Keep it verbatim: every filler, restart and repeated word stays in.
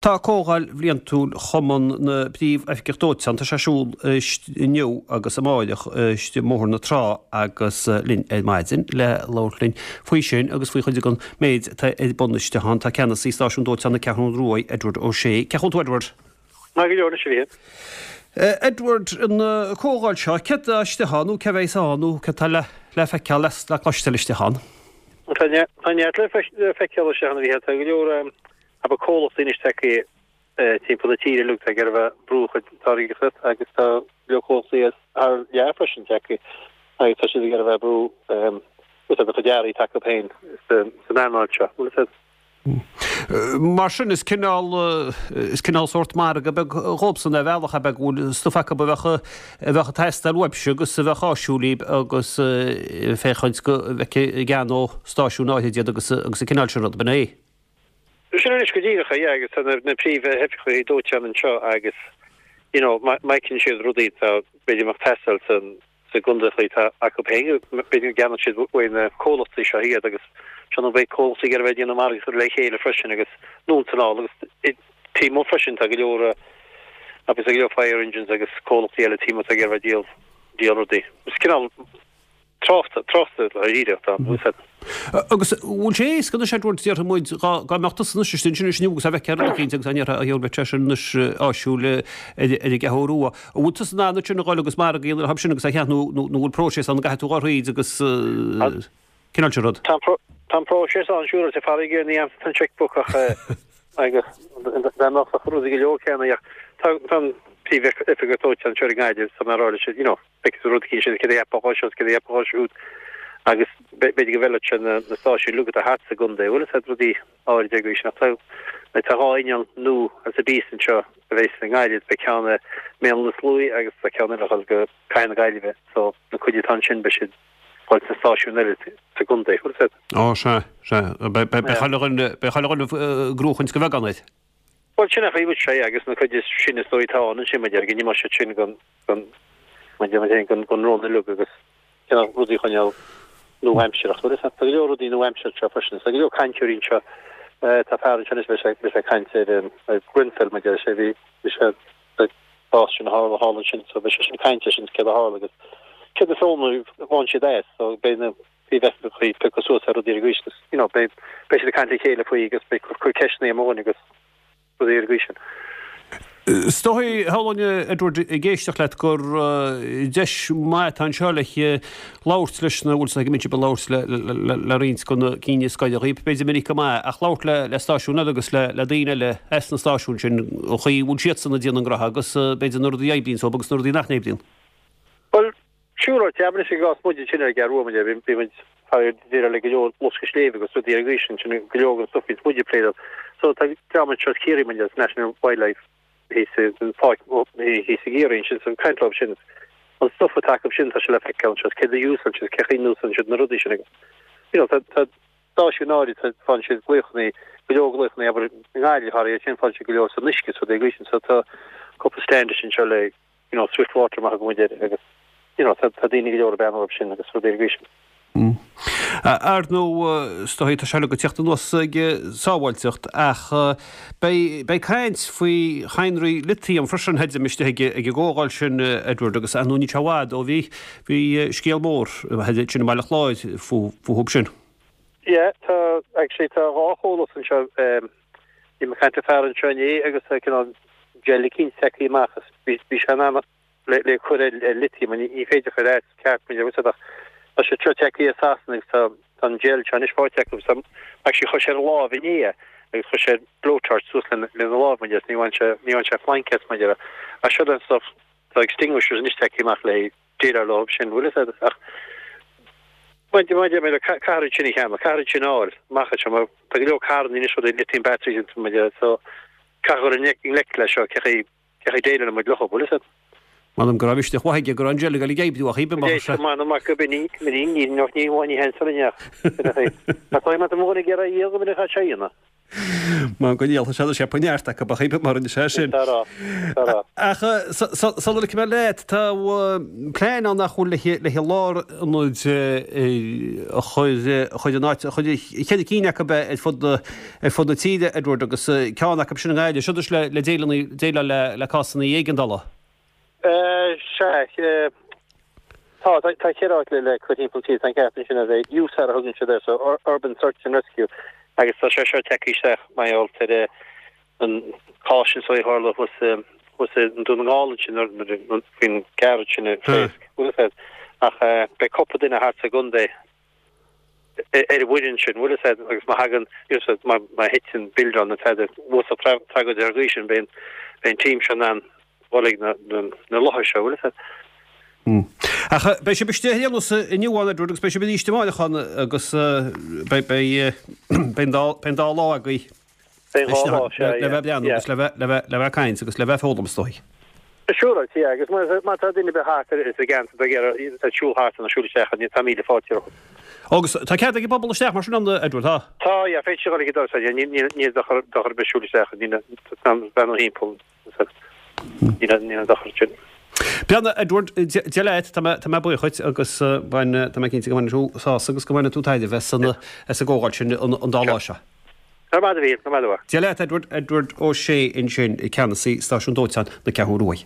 Tá comhdháil bhliantúil Chumann na bPríomh-Oifigeach Dóiteáin tá sé ar siúl inniu agus amárach i mBóthar na Trá agus linn ar maidin le labhairt linn faoi sin agus faoi chuid den méid atá ar bun istigh ann. Tá ceannasaí stáisiún dóiteáin na Ceathrún Rua, Edward O'Shea. Cén chaoi a bhfuil tú Edward? Maith go leor anois a Mhíchíl. Edward, an comhdháil seo, céard atá istigh ann nó cé bheas ann nó céard atá le le feiceáil le le cloisteáil istigh ann? Tá neart le feiceáil istigh ann a Mhíchíl. Tá go leor abair comhlachtaí anois tagtha timpeall na tíre uilig atá ag iarraidh a bheith ag brú a gcuid táirgeachta agus tá go leor comhlachtaí as thar lear freisin tagtha agus tá siad ag iarraidh a bheith ag brú úsáid a gcuid earraí atá acu féin san earnáil seo. Bhfuil a fhios agat? Mar sin is cineál is cineál sórt margadh beag dhóibhsean ar bhealach ab ea go bhfuil stuif acu a bheadh a bheadh ag teastáil uaibhse agus a bheadh áisiúil daoibh agus féachaint go bhfeicfidh i gceann ó stáisiún áirid iad agus agus an cineál sin rud, ab in é? Sin anois go díreach é, yeah, agus tá na príomhoifigigh dóiteáin anseo agus you know má fheiceann siad rudaí atá b'fhéidir ag teastáil san sa gcontae atá acu féin, b'fhéidir go gceannóidh siad uaidh na comhlachtaí seo iad agus seo nó beidh comhlachtaí ag iarraidh a bheith ag déanamh margadh le chéile freisin agus anonn is anall agus taobh amuigh freisin tá go leor agus tá go leor fire engines agus comhlachtaí eile taobh amuigh atá ag iarraidh a bheith ag díol díol rudaí. Is cineál tráchta, tráchta dáiríre atá ann, bhfuil a fhios agat. Agus bhfuil sé éasca anois, Edward, déarfaidh muid, dhá dhá mbeadh tusa anois istigh ansin inniu agus a bheith ceithre cinnte agus an ndéarfá, a gheall, beidh sé sin anois áisiúil ar ar an gCeathrú Rua. An bhfuil tusa in ann ansin a dhul agus margadh a dhéanamh orthu sin agus a cheannach nó nó nó bhfuil próiseas ann a gcaithfidh tú a dhul thríd agus cineál sin rud? Tá tá an próiseas ann, siúráilte, faraor ní fhaigheann an checkbook ach agus dá mbeadh ach rudaí go leor céanna ach tá tá an príomhoifigeach dóiteáin anseo i nGaillimh so mar a rá leis you know, beidh rud éicint sin céard a cheapfá dhó seo céard a cheapfá dhó siúd agus b'fhéidir go bhfeilfeadh sé na na stáisiúin uilig atá thart sa gcontae bhfuil a fhios agat rudaí áirid agaibh sin ach tá tá dhá inneall nua as a bíos anseo a bheas i nGaillimh beidh ceann i mBéal Átha na Sluaighe agus tá ceann eile ag dul go Cathair na Gaillimhe so na cuid atá ansin beidh siad fáil sna stáisiúin eile sa gcontae bhfuil a fhios agat. Ó sea, sea. Beidh beidh chuile dhuine beidh chuile dhuine ag gnóchaint go bheag ann air. Bhuel sin é chaoi sé agus na cuid is sine is dóigh atá ann ansin mar deir go n-imeoidh siad sin gon gon mar deir muid féin gon gon rón uilig agus cineál rudaí a choinneáil nua-aimsearach. Bhuel is tá go leor rudaí nua-aimsearach anseo freisin. Tá go leor cainteoirí anseo. Tá fear anseo anois beidh sé beidh sé ag caint ar ar Grenfell mar deir sé bhí bhí sé ag bás sin a tharla thall ansin so beidh sé sin ag caint air sin céard a tharla agus céard a foghlaim bhain siad as so beidh na príomhoifigigh ag piocadh suas ar rudaí ar an gcaoi sin you know beidh beidh siad ag caint le chéile faoi agus beidh cur ceisteanna amuigh agus rudaí ar an gcaoi sin. Is dóigh, shamhlóinn, Edward, ag éisteacht leat gur deis mhaith atá anseo le labhairt leis na, bhfuil 's ag go mbíonn sibh ag labhairt le roinnt de na cinn is gaire dhaoibh, b'fhéidir minic go maith, ach labhairt le le stáisiúin eile agus le le daoine eile as na stáisiúin sin, an chaoi a bhfuil siadsan ag déanamh a ngraithe agus b'fhéidir na rudaí a oibríonn dóibh agus na rudaí nach n-oibríonn. Bhuel, siúráilte, abair anois i gcás muide ansin ar an gCeathrú Rua, muid, bhí muid ag déileáil le go leor loscadh sléibhe agus rudaí ar an gcaoi sin, sin go leor den stuif a bhíonns muid ag plé leo. So tá dream anseo as Ciarraí muid as National Wildlife thíos san pháirc thíos i gCiarraí ansin, so caint leo sin. An stuif atá acu sin tá sé le feiceáil anseo, céard a úsáideann siad, cé chaoi a n-úsáideann siad na rudaí sin agus you know tá tá stáisiúin áirid faigheann siad glaochanna, go leor glaochanna abair i nGaillimh thar sin faigheann siad go leor san uisce is rudaí ar an gcaoi sin so tá cúpla stand anseo le you know, swift water maith go muid air agus you know, tá, tá daoine go leor ag breathnú orthu sin agus rudaí ar an gcaoi sin. Ar ndóigh, is dóigh, tá sé uilig ag teacht anuas ag sábháilteacht ach beidh, beidh caint faoi chadhnraí litiam freisin, chreidim, istigh ag, ag an gcomhdháil sin, Edward, agus ar ndóigh níl sé i bhfad ó bhí, bhí scéal mór ansin i mBaile Chláir fúthu sin. Yeah, tá, actually tá dhá chomhlacht anseo, bhí mé ag caint le fear anseo inné agus tá cineál gel eicínt tagtha amach is bhí bhí sé in ann le le cur ar ar lithium ní ní féidir chur as ceart mar bhfuil ach tá sé seo tagtha as Sasana agus tá tá an gel seo anois faighte acu so actually chuir sé ar a lámh inné agus chuir sé blowtorch suas lena lena lámh mar ní bhain sé ní bhain sé flainc as mar ach seo den stuff tá extinguishers anois tagtha amach le déileáil leo sin bhfuil a fhios agat ach maidir maidir le caithfear iad sin a cheannach caithfear iad sin a fháil amach anseo mar tá go leor carranna anois rudaí lithium batteries mar so Caithfear dul i ngleic leis seo, cé chaoi, cé chaoi déileálann muid leo, bhfuil a fhios agat? M'anam go raibh misneach mhaith aige go raibh an gel ag dul ag oibriú ach bhí mar Is m'anam mac go binn ní ní ní ní ní ní hen san inneach. Tá má tá mo dhuine ag iarraidh iad go minic a sé dhéanamh. Mar go ndíolfadh sé sé neart acu ba chuimhin mar rinne sé sin. Ach sula ligfidh mé leat, tá plean ann nach bhfuil le lárionad a chur in áit, ceithre cinn acu ar fud ar fud na tíre, Edward, agus ceann acu sin i nGaillimh, seo le déileáil le cásanna éigeandála. Sea, tá, tá ceithre áit le cur timpeall na tíre, tá an ceart ansin a bheith, USAR a thugann siad air, so Urban Search and Rescue, agus tá sé seo tagtha isteach mar gheall ar an cás sin so a tharla thuas thuas i nDún na nGall ansin nuair faoin gcarr sin a phléasc, bhfuil a fhios agat. Ach beidh cúpla duine thart sa gcontae ar an bhfoireann sin, bhfuil a fhios agat, agus má thagann, you know, má má thiteann buildeán nó tada, uasal tragóid ar an gcaoi sin, beidh an beidh an team seo in ann dul ag na na láthair seo, bhfuil a fhios agat. Ach beidh sibh istigh ar aon nós inniu ann, Edward, agus beidh sibh arís amárach ann agus beidh beidh beidh an dá lá agaibh Beidh dhá lá, sea, le bheith ag breathnú agus le bheith le bheith le bheith ag caint agus le bheith ag foghlaim is dóigh. Siúráilte, yeah, agus má má tá duine ar bith thart ar sa gceantar ag iarraidh ag siúl thart nó siúl isteach ann, tá míle fáilte rompu. Agus tá cead ag an bpobal isteach mar sin ann, Edward, tá? Tá, yeah, féadfaidh siad dul ag an doras, yeah, níl níl dochar dochar ar bith siúl isteach, níl bean ó thimpeall. Níl aon dochar sin. Breathnaigh, Edward, Dia leat, tá mé buíoch dhuit agus tá mé cinnte go mbainfidh tú sásamh agus go mbainfidh tú tairbhe as an gcomhdháil sin an dá lá seo. Go raibh maith agat, a Mhíl, go raibh maith agat. Dia leat, Edward, Edward Ó Sé ansin, Ceannasaí Stáisiún Dóiteáin na Ceathrún Rua.